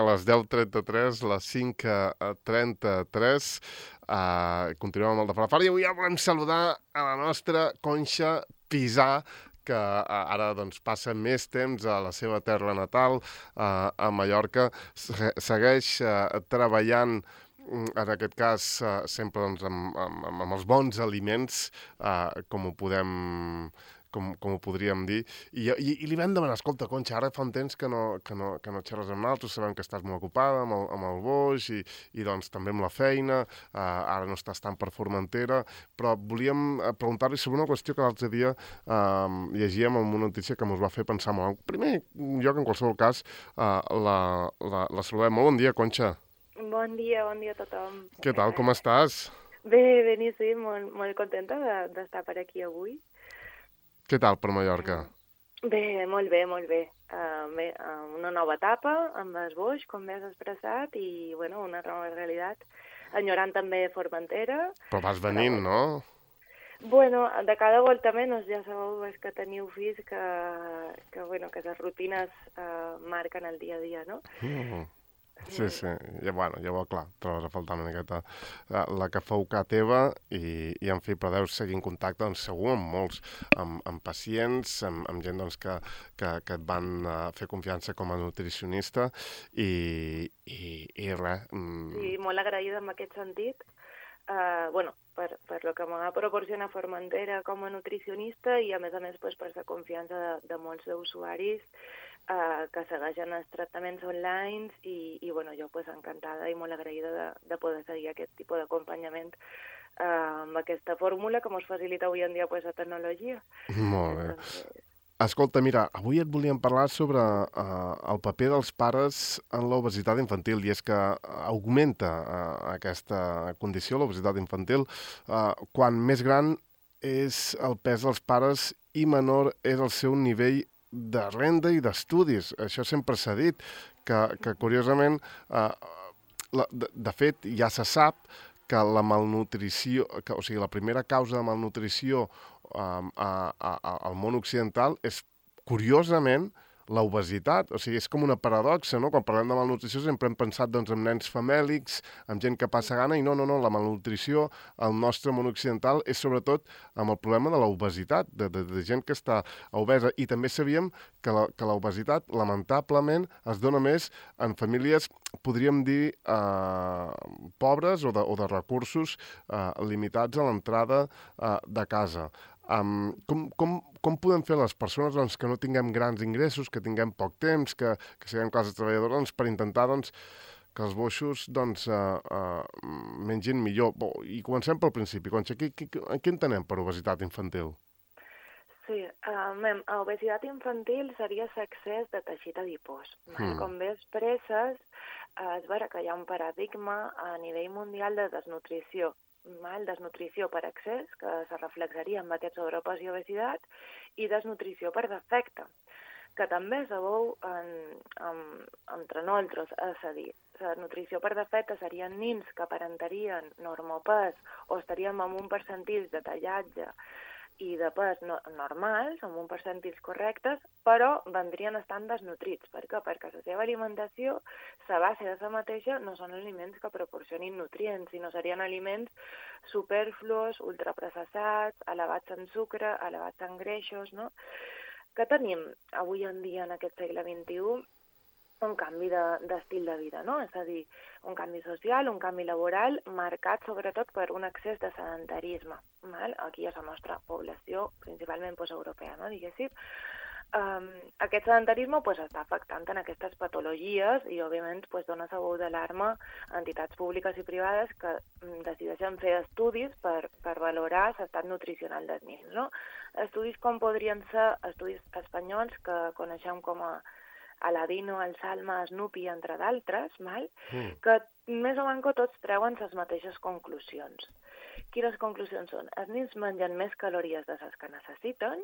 les 10:33, les 5:33. Continuem amb el de Falafala i avui ja volem saludar a la nostra Conxa Pisà, que ara doncs, passa més temps a la seva terra natal, a Mallorca. Segueix treballant, en aquest cas, sempre doncs, amb els bons aliments, com ho podem... Com ho podríem dir, i li vam demanar, escolta, Conxa, ara fa un temps que no xerres amb nosaltres, sabem que estàs molt ocupada amb el boix i doncs també amb la feina, ara no estàs tant per Formentera, però volíem preguntar-li sobre una qüestió que l'altre dia llegíem en una notícia que ens va fer pensar molt. En primer lloc, en qualsevol cas, la saludem. Molt bon dia, Conxa. Bon dia a tothom. Què tal, com estàs? Bé, beníssim, molt contenta d'estar per aquí avui. Què tal per Mallorca? Bé, molt bé, molt bé. Una nova etapa amb el boix, com bé has expressat, i bueno, una nova realitat. Enyorant també Formentera. Però vas venint, no? Bueno, de cada volta menys, ja sabeu que teniu fills que les rutines marquen el dia a dia, no? Sí, ja ho clar, trobes a faltar una miqueta la que fou ca teva i en fi, però deus seguir en contacte, doncs, segur, amb molts, amb pacients, amb gent doncs, que et van fer confiança com a nutricionista i res. Sí, molt agraïda en aquest sentit. Per lo que m'ha proporcionat Formentera com a nutricionista i a més pues, per la confiança de molts usuaris que segueixen els tractaments online i bueno, jo pues, encantada i molt agraïda de poder seguir aquest tipus d'acompanyament amb aquesta fórmula que ens facilita avui en dia pues, la tecnologia. Molt bé. Escolta, mira, avui et volíem parlar sobre el paper dels pares en l'obesitat infantil, i és que augmenta aquesta condició, l'obesitat infantil, quan més gran és el pes dels pares i menor és el seu nivell de renda i d'estudis. Això sempre s'ha dit, que curiosament, de fet, ja se sap que la malnutrició, o sigui, la primera causa de malnutrició al món occidental és, curiosament, l'obesitat. O sigui, és com una paradoxa, no? Quan parlem de malnutrició sempre hem pensat doncs, en nens famèlics, amb gent que passa gana, i no, la malnutrició al nostre món occidental és sobretot amb el problema de l'obesitat, de gent que està obesa. I també sabíem que l'obesitat, lamentablement, es dona més en famílies, podríem dir, pobres o de recursos limitats a l'entrada de casa. Com podem fer les persones doncs, que no tinguem grans ingressos, que tinguem poc temps, que siguem classes treballadores, doncs, per intentar doncs, que els boixos doncs, mengin millor? I comencem pel principi. Conxa, què entenem per obesitat infantil? Sí, obesitat infantil seria l'excés de teixit adipós. Com bé expresses, és vera que hi ha un paradigma a nivell mundial de desnutrició. Desnutrició per excés, que se reflexaria amb aquest sobrepès i obesitat, i desnutrició per defecte, que també sabeu entre nosaltres, és a dir, la nutrició per defecte serien nins que aparentarien normopès o estaríem en un percentil de tallatge i de pes normals, amb uns percentils correctes, però vendrien estant desnutrits. Per què? Perquè la seva alimentació, la base de la mateixa, no són aliments que proporcionin nutrients, sinó serien aliments superfluos, ultraprocessats, elevats en sucre, elevats en greixos, no? Què tenim avui en dia en aquest segle XXI? Un canvi d'estil de vida, no? És a dir, un canvi social, un canvi laboral, marcat sobretot per un excés de sedentarisme. Aquí és la nostra població, principalment europea, no? Diguéssim. Aquest sedentarisme està afectant en aquestes patologies i, òbviament, dona la veu d'alarma a entitats públiques i privades que decideixen fer estudis per valorar l'estat nutricional dels nens, no? Estudis com podrien ser estudis espanyols que coneixem com a Aladino, el Salma, Snoopy, entre d'altres, que més o menys tots treuen les mateixes conclusions. Quines conclusions són? Els nens mengen més calories de les que necessiten,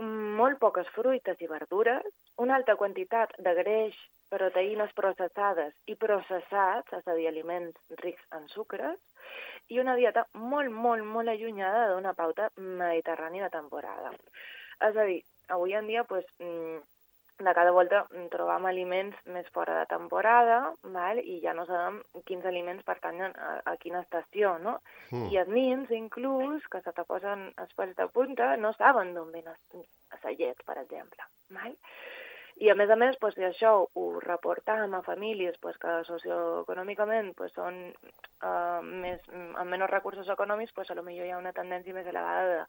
molt poques fruites i verdures, una alta quantitat de greix, proteïnes processades i processats, és a dir, aliments rics en sucres, i una dieta molt, molt, molt allunyada d'una pauta mediterrània de temporada. És a dir, avui en dia, de cada volta trobam aliments més fora de temporada, val? I ja no sabem quins aliments pertanyen a quina estació, no? I els nins, inclús, que se te posen els pèls de punta, no saben d'on ven la llet, per exemple. Val? I a més, doncs, si això ho reportam a famílies doncs, que socioeconòmicament doncs, són amb menys recursos econòmics, doncs, potser hi ha una tendència més elevada de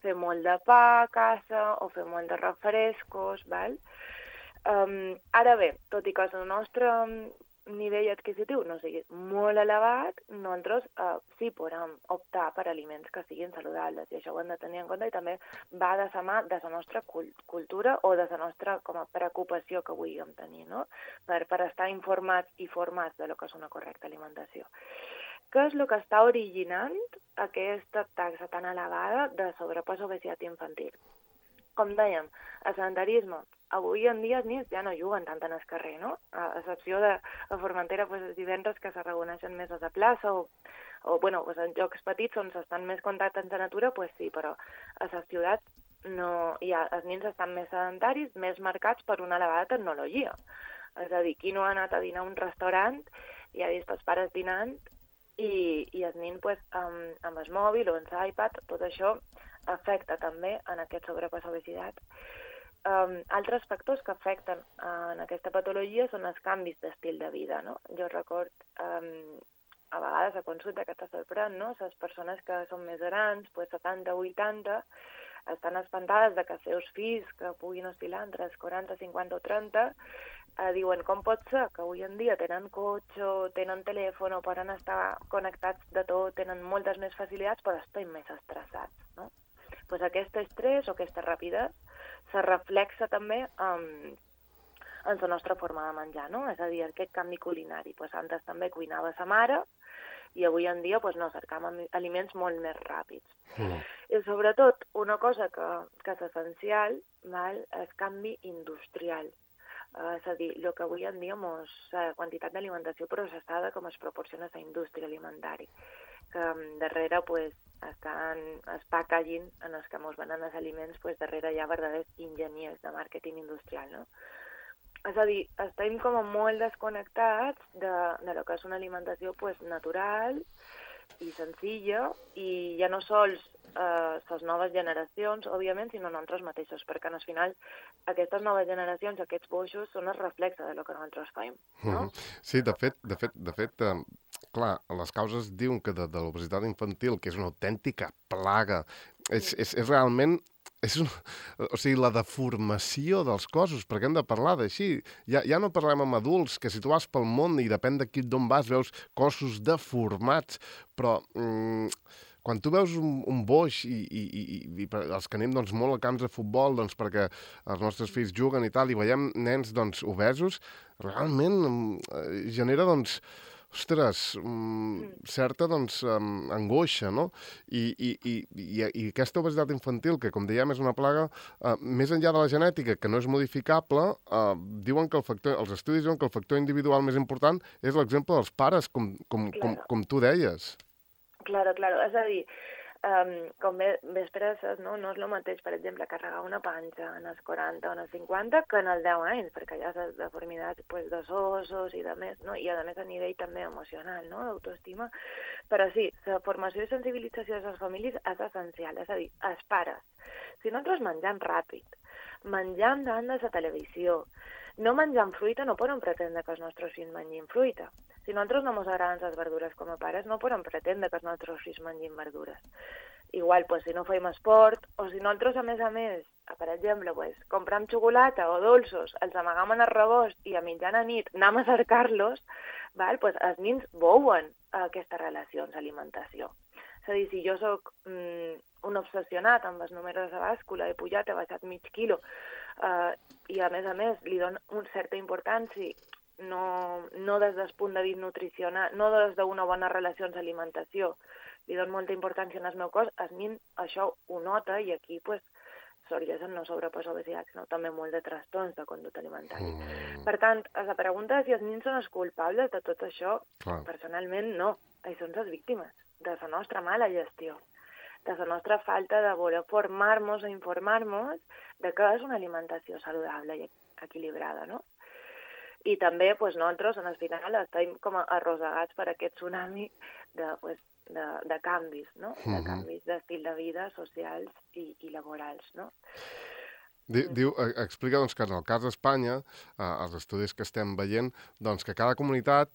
fer molt de pa a casa o fer molt de refrescos, val? Ara bé, tot i que el nostre nivell adquisitiu no sigui molt elevat, nosaltres sí podem optar per aliments que siguin saludables, i això ho hem de tenir en compte, i també va de la mà de la nostra cultura o de la nostra com a preocupació que vulguem tenir, no? Per estar informats i formats de lo que és una correcta alimentació. Què és el que està originant aquesta taxa tan elevada de sobrepès o obesitat infantil? Com dèiem, el sedentarisme. Avui en dia els nens ja no juguen tant en el carrer, no? A excepció de a Formentera, els divendres que se reuneixen més a la plaça o en jocs petits on s'estan més contactes amb la natura, sí, però a les ciutats no, els nens estan més sedentaris, més marcats per una elevada tecnologia. És a dir, qui no ha anat a dinar a un restaurant i ha vist els pares dinant i els nens amb el mòbil o amb l'iPad, tot això afecta també en aquest sobrepès o obesitat. Altres factors que afecten en aquesta patologia són els canvis d'estil de vida, no? Jo record a vegades a consulta que t'ha sorprèn, no? Les persones que són més grans, 70, 80, estan espantades de que els seus fills, que puguin oscil·lar entre els 40, 50 o 30, diuen com pot ser que avui en dia tenen cotxe, tenen telèfon, poden estar connectats de tot, tenen moltes més facilitats, però estan més estressats, no? Doncs aquest estrès o aquesta rapidesa se reflexa també en la nostra forma de menjar, no? És a dir, aquest canvi culinari. Antes també cuinava sa mare i avui en dia no, cercam aliments molt més ràpids. I sobretot, una cosa que és essencial és el canvi industrial. És a dir, el que avui en dia la quantitat d'alimentació processada com es proporciona a la indústria alimentària, que darrere estan els packaging en els que ens venen els aliments, darrere hi ha verdaders enginyers de màrqueting industrial, no? És a dir, estem com molt desconnectats de lo que és una alimentació natural i senzilla, i ja no sols les noves generacions, òbviament, sinó nosaltres mateixos, perquè al final aquestes noves generacions, aquests boixos, són el reflexe de lo que nosaltres fem, no? Sí, de fet, clar, les causes diuen que de l'obesitat infantil, que és una autèntica plaga, és realment... O sigui, la deformació dels cossos, perquè hem de parlar d'així. Ja no parlem amb adults, que si tu vas pel món i depèn d'on vas, veus cossos deformats, però quan tu veus un boix i els que anem molt a camps de futbol perquè els nostres fills juguen i tal, i veiem nens obesos, realment genera ostres, certa angoixa, no? I aquesta obesitat infantil, que com dèiem és una plaga, més enllà de la genètica, que no és modificable, diuen que els estudis diuen que el factor individual més important és l'exemple dels pares, com tu deies. Claro, és a dir, com bé expresses, no és el mateix, per exemple, carregar una panxa en els 40 o en els 50 que en els 10 anys, perquè hi ha les deformitats dels ossos i de més, no? I a més a nivell també emocional, no? D'autoestima. Però sí, la formació i sensibilització de les famílies és essencial, és a dir, els pares. Si nosaltres mengem ràpid, mengem davant de la televisió, no menjant fruita, no podem pretendre que els nostres fills mengin fruita. Si nosaltres no ens agraden les verdures com a pares, no podem pretendre que els nostres fills mengin verdures. Igual, si no fem esport, o si nosaltres, a més, per exemple, comprem xocolata o dolços, els amagam en el rebost i a mitjana nit anem a cercar-los, els nens veuen aquestes relacions d'alimentació. És a dir, si jo soc un obsessionat amb els números de bàscula, he pujat, he baixat mig quilo, i a més li dono una certa importància, no des del punt de vista nutricional, no des d'una bona relació amb l'alimentació, li dono molta importància en el meu cos, el nen això ho nota i aquí sorgeixen no sobrepès o obesitat, sinó també molt de trastorns de conducta alimentària. Per tant, la pregunta de si els nens són els culpables de tot això, personalment no, ells són les víctimes de la nostra mala gestió, de la nostra falta de voler formar-nos o informar-nos de què és una alimentació saludable. I equilibrada, no? I també nosaltres, al final, estem com arrossegats per aquest tsunami de canvis, no? De canvis d'estil de vida socials i laborals, no? Explica que en el cas d'Espanya, els estudis que estem veient, que cada comunitat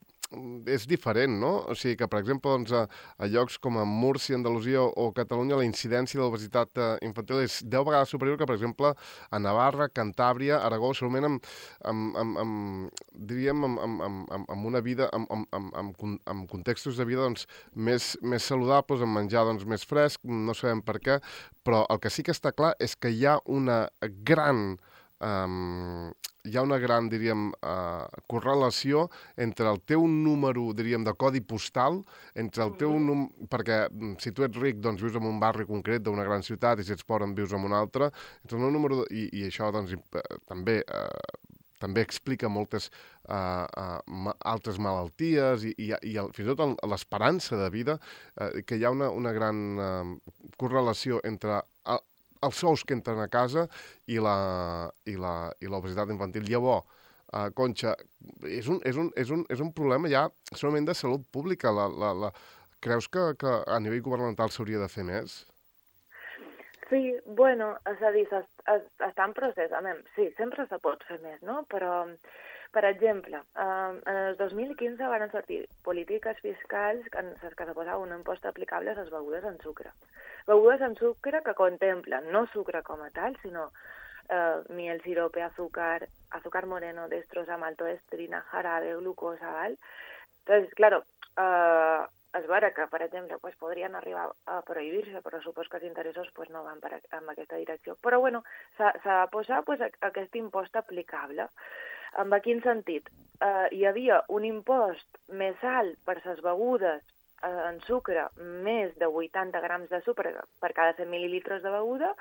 és diferent, no? O sigui que, per exemple, a llocs com a Múrcia, Andalusia o Catalunya, la incidència de l'obesitat infantil és 10 vegades superior que, per exemple, a Navarra, Cantàbria, Aragó, segurament amb una vida, amb contextos de vida més saludables, amb menjar més fresc, no sabem per què, però el que sí que està clar és que hi ha una gran diríem, correlació entre el teu número, diríem, de codi postal, entre el teu perquè si tu ets ric, doncs vius en un barri concret d'una gran ciutat, i si ets pobre, vius en un altre, entre el meu número, i això també explica moltes altres malalties i fins i tot l'esperança de vida, que hi ha una gran correlació entre els sous que entren a casa i l'obesitat infantil. Llavors, Conxa, és un problema ja solament de salut pública. Creus que a nivell governamental s'hauria de fer més? Sí, és a dir, està en procés. Sí, sempre se pot fer més, no? Però, per exemple, en el 2015 van sortir polítiques fiscals que se posava un impost aplicable a les begudes amb sucre. Begudes amb sucre que contemplen no sucre com a tal, sinó miel, sirope, azúcar moreno, destroza, maltodextrina, jarabe, glucosa, ¿vale? Entonces, claro, és vera que, per exemple, podrien arribar a prohibir-se, però supos que els interessos no van en aquesta direcció. Però, s'ha de posar aquest impost aplicable. En quin sentit? Hi havia un impost més alt per les begudes en sucre, més de 80 grams de sucre per cada 100 mil·lilitres de beguda,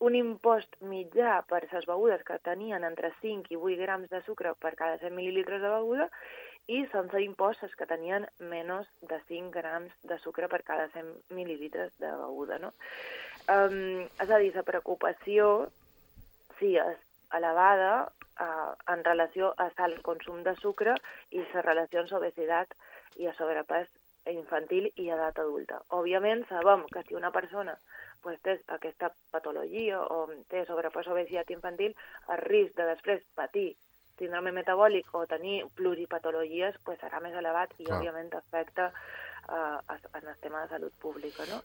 un impost mitjà per les begudes que tenien entre 5 i 8 grams de sucre per cada 100 mil·lilitres de beguda, i sense impostos que tenien menys de 5 grams de sucre per cada 100 mil·lilitres de beguda, no? És a dir, la preocupació, sí, és elevada en relació a el consum de sucre i les relacions obesitat i a sobrepès infantil i edat adulta. Òbviament, sabem que si una persona té aquesta patologia o té sobrepès o obesitat infantil, el risc de després patir síndrome metabòlic o tenir pluripatologies serà més elevat i, òbviament, afecta en el tema de salut pública, no?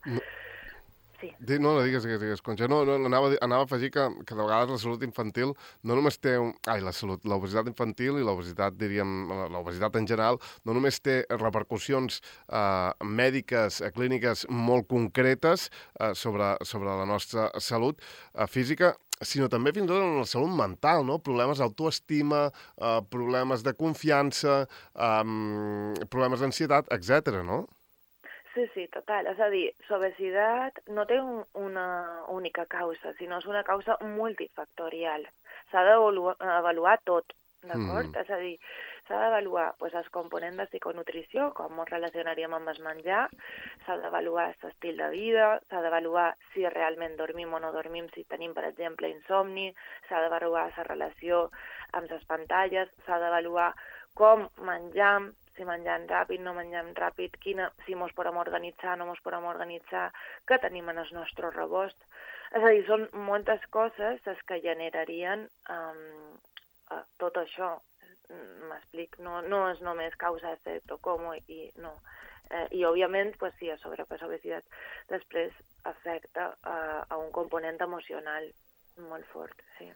Sí. No digues, Conxa. No, anava a afegir que de vegades la salut infantil no només té... l'obesitat infantil i l'obesitat, diríem, l'obesitat en general, no només té repercussions mèdiques, clíniques molt concretes sobre la nostra salut física, sinó també fins i tot en la salut mental, no? Problemes d'autoestima, problemes de confiança, problemes d'ansietat, etc., no? Sí, total. És a dir, l'obesitat no té una única causa, sinó és una causa multifactorial. S'ha d'avaluar tot, d'acord? És a dir, s'ha d'avaluar els components de psiconutrició, com ens relacionaríem amb el menjar, s'ha d'avaluar l'estil de vida, s'ha d'avaluar si realment dormim o no dormim, si tenim, per exemple, insomni, s'ha d'avaluar la relació amb les pantalles, s'ha d'avaluar com menjam, si mengem ràpid, no mengem ràpid, si mos podem organitzar, no mos podem organitzar, què tenim en el nostre rebost. És a dir, són moltes coses les que generarien tot això. M'explic, no és només causa efecte o com, i no. I, òbviament, sí, a sobrepès obesitat després afecta a un component emocional molt fort, sí.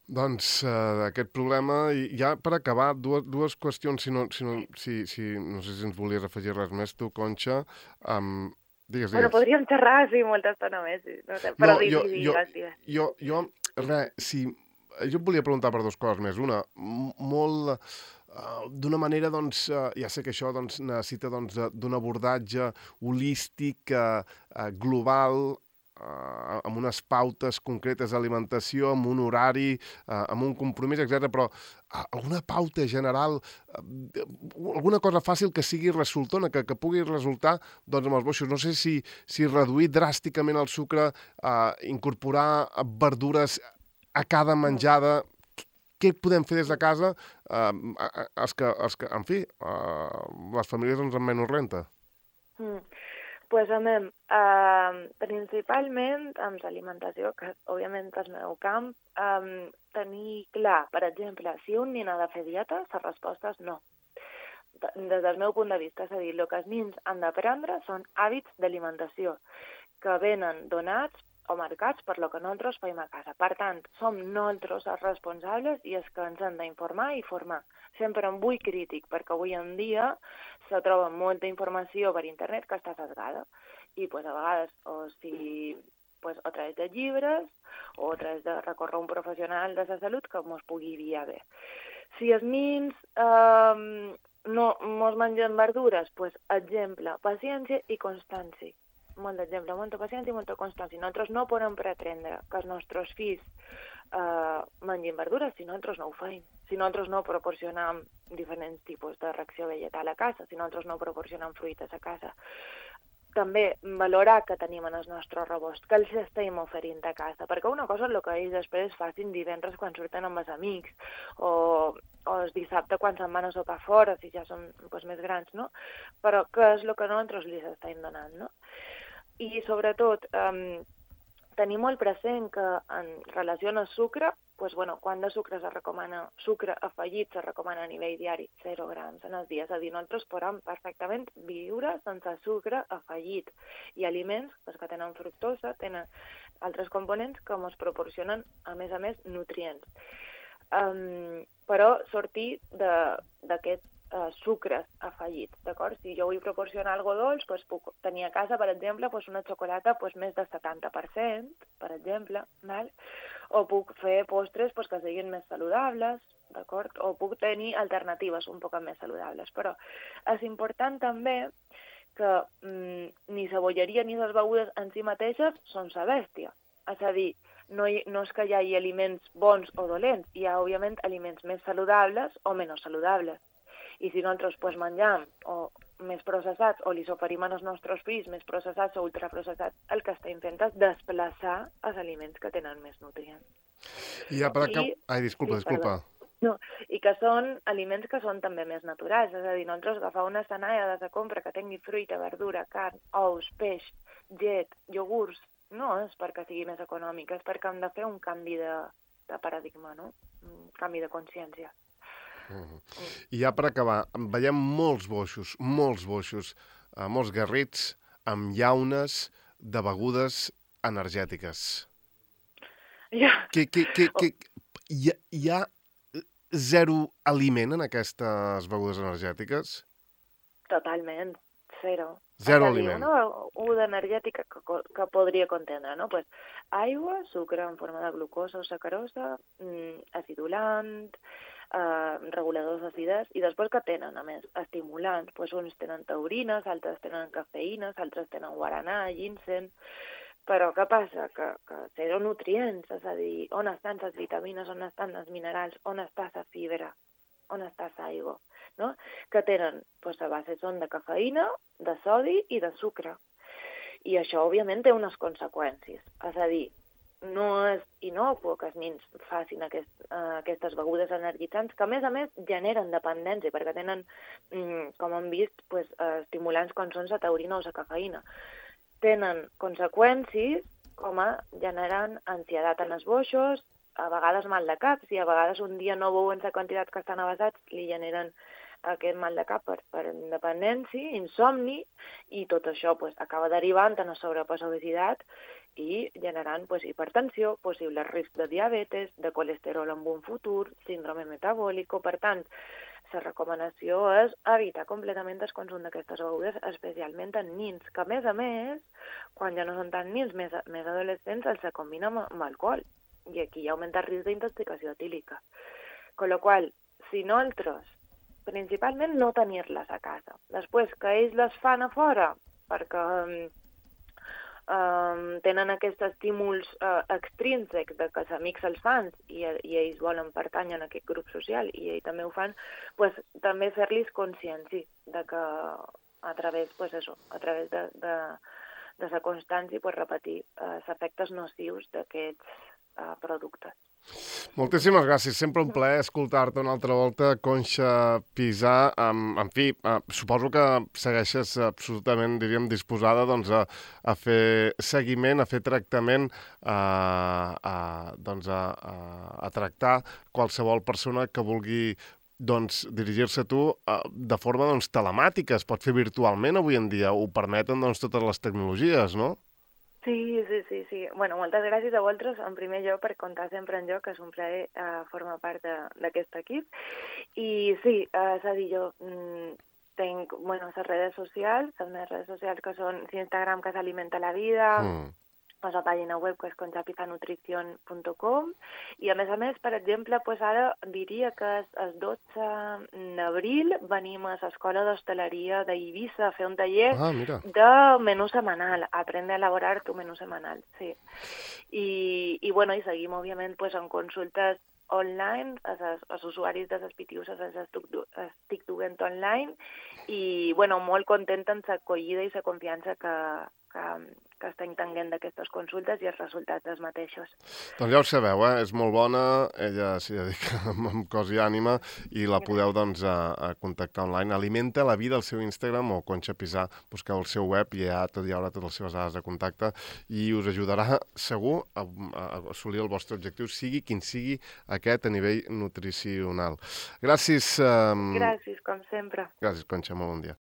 Doncs aquest problema, i ja per acabar, dues qüestions, no sé si ens volies afegir res més, tu, Conxa. Digues. Bueno, podríem xerrar, sí, molta estona més, no sé, però digues. Jo et volia preguntar per dues coses més. Una, molt... d'una manera, ja sé que això necessita d'un abordatge holístic, global, amb unes pautes concretes d'alimentació, amb un horari, amb un compromís, etc. Però alguna pauta general, alguna cosa fàcil que sigui resultona, que pugui resultar amb els boixos. No sé si reduir dràsticament el sucre, incorporar verdures a cada menjada, què podem fer des de casa en fi, les famílies amb menys renta? Pues, principalment amb l'alimentació, que òbviament és el meu camp, tenir clar, per exemple, si un nen ha de fer dieta, la resposta és no. Des del meu punt de vista, és a dir, el que els nens han d'aprendre són hàbits d'alimentació que venen donats o marcats per lo que nosaltres fem a casa. Per tant, som nosaltres els responsables i els que ens hem d'informar i formar. Sempre amb ull crític, perquè avui en dia se troba molta informació per internet que està sesgada. I pues, a vegades, a través de llibres o a través de recórrer un professional de la salut que ens pugui guiar bé. Si els nens no mos mengen verdures, pues, exemple, paciència i constància. Molt d'exemple, molta paciència i molta constància. Nosaltres no podem pretendre que els nostres fills mengin verdures si nosaltres no ho fem. Si nosaltres no proporcionem diferents tipus de reacció vegetal a casa, si nosaltres no proporcionem fruites a casa. També valorar que tenim en el nostre rebost, que els estem oferint a casa, perquè una cosa és el que ells després facin divendres quan surten amb els amics, o el dissabte quan se'n van a sopar fora, si ja són més grans, no? Però què és el que nosaltres els estem donant, no? I sobretot, tenir molt present que en relació al sucre, quant de sucre se recomana, sucre afegit se recomana a nivell diari, 0 grams en el dia. És a dir, nosaltres podem perfectament viure sense sucre afegit. I aliments que tenen fructosa, tenen altres components que ens proporcionen, a més, nutrients. Però sortir d'aquest sucres afegits, d'acord? Si jo vull proporcionar algo dolç, puc tenir a casa, per exemple, una xocolata més del 70%, per exemple, val? O puc fer postres que siguin més saludables, d'acord? O puc tenir alternatives un poc més saludables. Però és important també que ni la bolleria ni les begudes en si mateixes són sa bèstia. És a dir, no és que hi hagi aliments bons o dolents, hi ha, òbviament, aliments més saludables o menys saludables. I si nosaltres menjam o més processats o li oferim als nostres fills més processats o ultraprocessats, el que estem fent és desplaçar els aliments que tenen més nutrients. I ja per acabar... Ai, disculpa. No, i que són aliments que són també més naturals, és a dir, nosaltres agafar una escenalla de la compra que tingui fruita, verdura, carn, ous, peix, llet, iogurts, no és perquè sigui més econòmic, és perquè hem de fer un canvi de paradigma, no? Un canvi de consciència. I ja per acabar, veiem molts boixos, molts garrits amb llaunes de begudes energètiques. Hi ha zero aliment en aquestes begudes energètiques? Totalment, zero. Zero aliment. Una beguda energètica que podria contendre, no? Aigua, sucre en forma de glucosa o sacarosa, acidulant, reguladors d'acidesa, i després que tenen, a més, estimulants. Uns tenen taurines, altres tenen cafeïnes, altres tenen guaranà, ginseng. Però què passa? Que zero nutrients, és a dir, on estan les vitamines, on estan els minerals, on està la fibra, on està l'aigua, no? Que tenen, a base són de cafeïna, de sodi i de sucre. I això, òbviament, té unes conseqüències. És a dir, no és innocu que els nens facin aquestes begudes energitzants, que a més generen dependència, perquè tenen, com hem vist, estimulants com són la taurina o la cafeïna. Tenen conseqüències com generen ansietat en els boixos, a vegades mal de cap, si a vegades un dia no beuen la quantitat que estan avasats, li generen aquest mal de cap per independència, insomni, i tot això acaba derivant en sobrepès, obesitat i generant hipertensió, possible risc de diabetes, de colesterol en un futur, síndrome metabòlic. Per tant, la recomanació és evitar completament el consum d'aquestes begudes, especialment en nens, que a més, quan ja no són tan nens, més adolescents, els combina amb alcohol. I aquí augmenta el risc d'intoxicació etílica. Con lo qual, si nosaltres, principalment no tenir-les a casa. Després, que ells les fan a fora, perquè tenen aquests estímuls extrínsecs de que els amics els fan i ells volen pertànyer a aquest grup social i ells també ho fan, també fer-los consciència de que a través de la constància repetir els efectes nocius d'aquests productes. Moltíssimes gràcies. Sempre un plaer escoltar-te una altra volta, Conxa Pisà. En fi, suposo que segueixes absolutament, diríem, disposada doncs, a fer seguiment, a fer tractament, a tractar qualsevol persona que vulgui doncs, dirigir-se a tu de forma doncs, telemàtica. Es pot fer virtualment avui en dia. Ho permeten doncs, totes les tecnologies, no? Sí. Bueno, moltes gràcies a vosaltres, en primer lloc, per comptar sempre en jo, que és un plaer formar part d'aquest equip. I sí, és a dir, jo tenc, les redes socials, les meves redes socials que són Instagram, que s'alimenta la vida, la pàgina web que és conxapizanutrición.com i a més, per exemple, ara diria que el 12 d'abril venim a l'Escola d'Hostaleria d'Eivissa a fer un taller de menú setmanal, aprendre a elaborar tu menú setmanal, sí. I seguim, òbviament, en consultes online, els usuaris de les PTUs els estic duent online i, molt contenta amb l'acollida i la confiança que estem tenint d'aquestes consultes i els resultats dels mateixos. Doncs ja ho sabeu, és molt bona, ella s'hi dedica amb cos i ànima i la podeu doncs, a contactar online. Alimenta la vida al seu Instagram o Conxa Pisà, busqueu el seu web i hi haurà totes les seves dades de contacte i us ajudarà segur a assolir el vostre objectiu, sigui quin sigui aquest a nivell nutricional. Gràcies. Gràcies, com sempre. Gràcies, Conxa, molt bon dia.